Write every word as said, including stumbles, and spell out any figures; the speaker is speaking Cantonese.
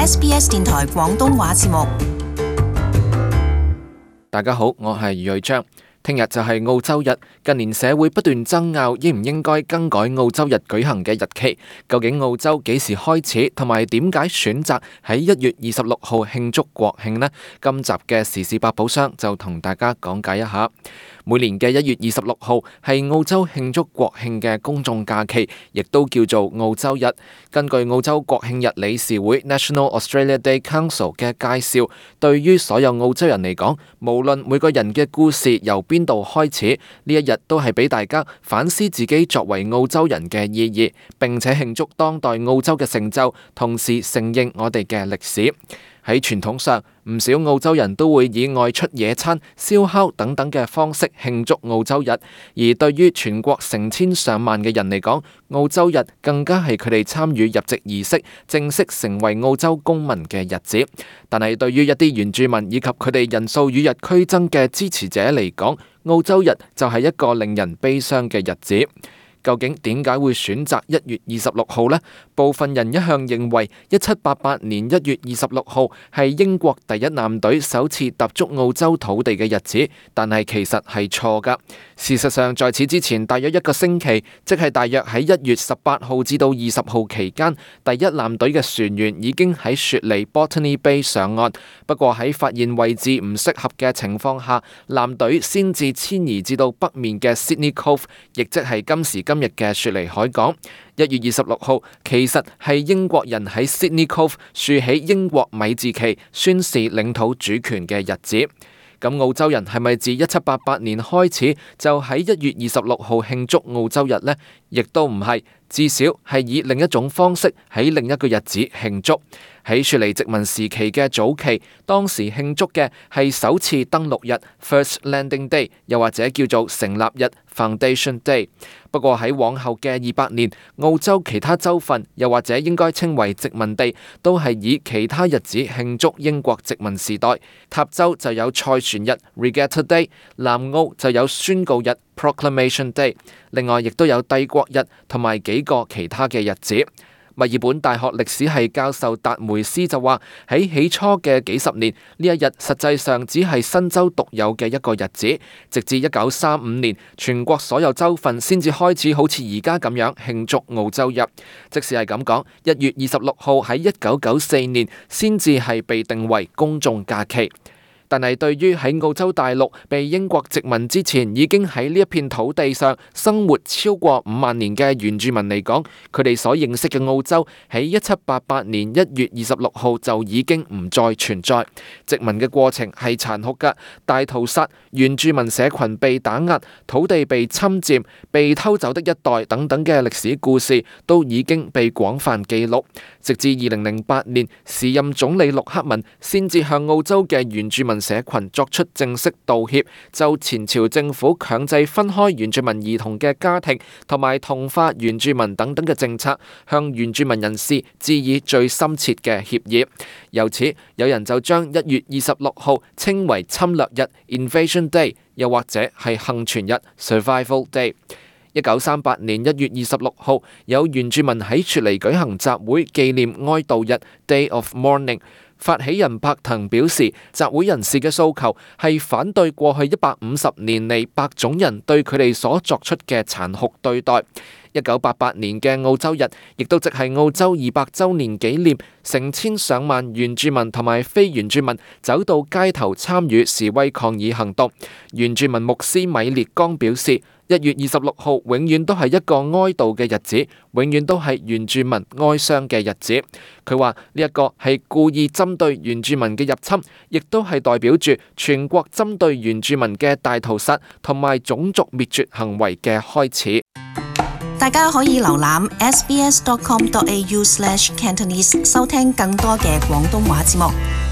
S B S 電台廣東話節目。大家好，我係余瑞章。聽日就係澳洲日，近年社會不斷爭拗應唔應該更改澳洲日舉行嘅日期。究竟澳洲幾時開始，同埋點解選擇喺一月二十六號慶祝國慶呢？今集嘅時事百寶箱就同大家講解一下。每年嘅一月二十六號係澳洲慶祝國慶嘅公眾假期，亦都叫做澳洲日。根據澳洲國慶日理事會 National Australia Day Council 嘅介紹，對於所有澳洲人嚟講，無論每個人嘅故事由邊度開始，呢一日都係俾大家反思自己作為澳洲人嘅意義，並且慶祝當代澳洲嘅成就，同時承認我哋嘅歷史。喺傳統上，唔少澳洲人都會以外出野餐、燒烤等等嘅方式慶祝澳洲日，而對於全國成千上萬嘅人嚟講，澳洲日更加係佢哋參與入籍儀式、正式成為澳洲公民嘅日子。但係對於一啲原住民以及佢哋人數與日俱增嘅支持者嚟講，澳洲日就係一個令人悲傷嘅日子。究竟點解會選擇一月二十六號呢？部分人一向認為一七八八年一月二十六號係英國第一艦隊首次踏足澳洲土地嘅日子，但係其實係錯㗎。事實上，在此之前大約一個星期，即係大約喺一月十八號至到二十號期間，第一艦隊嘅船員已經喺雪梨 Botany Bay 上岸。不過喺發現位置唔適合嘅情況下，艦隊先至遷移至到北面嘅 Sydney Cove， 亦即係今時今日嘅雪梨海港。一月二十六號其實係英國人喺 Sydney Cove 豎起英國米字旗，宣示領土主權嘅日子。咁澳洲人係咪自一七八八年開始就喺一月二十六號慶祝澳洲日呢？亦都唔係，至少係以另一種方式喺另一個日子慶祝。喺雪梨殖民時期嘅早期，當時慶祝嘅係首次登陸日 First Landing Day， 又或者叫做成立日 Foundation Day。不過喺往後嘅二百年，澳洲其他州份，又或者應該稱為殖民地，都係以其他日子慶祝英國殖民時代。塔州就有賽船日 Regatta Day， 南澳就有宣告日 Proclamation Day， 另外亦都有帝國日同埋幾個其他嘅日子。墨爾本大學歷史系教授達梅斯就話：喺起初嘅幾十年，呢一日實際上只係新州獨有嘅一個日子，直至一九三五年，全國所有州份先至開始好似而家咁樣慶祝澳洲日。即使係咁講，一月二十六號喺一九九四年先至係被定為公眾假期。但係對於喺澳洲大陸被英國殖民之前已經喺呢一片土地上生活超過五萬年嘅原住民嚟講，佢哋所認識嘅澳洲喺一七八八年一月二十六號就已經唔再存在。殖民嘅過程係殘酷㗎，大屠殺、原住民社群被打壓、土地被侵佔、被偷走的一代等等嘅歷史故事都已經被廣泛記錄。直至二零零八年，時任總理陸克文先至向澳洲嘅原住民社群作出正式道歉，就前朝政府強制分開原住民兒童嘅家庭同埋同化原住民等等嘅政策，向原住民人士致以最深切嘅歉意。由此，有人就將一月二十六號稱為侵略日 Invasion Day， 又或者係幸存日 Survival Day。一九三八年一月二十六號，有原住民喺雪梨舉行集會紀念哀悼日 Day of Mourning。發起人柏騰表示，集會人士嘅訴求係反對過去一百五十年嚟白種人對佢哋所作出嘅殘酷對待。一九八八年嘅澳洲日，亦都即係澳洲二百週年紀念，成千上萬原住民同埋非原住民走到街頭參與示威抗議行動。原住民牧師米列剛表示，一月二十六號永遠都係一個哀悼嘅日子，永遠都係原住民哀傷嘅日子。佢話呢一個係故意針對原住民嘅入侵，亦都係代表住全國針對原住民嘅大屠殺同埋種族滅絕行為嘅開始。大家可以瀏覽 s b s dot com dot a u slash cantonese 收聽更多嘅廣東話節目。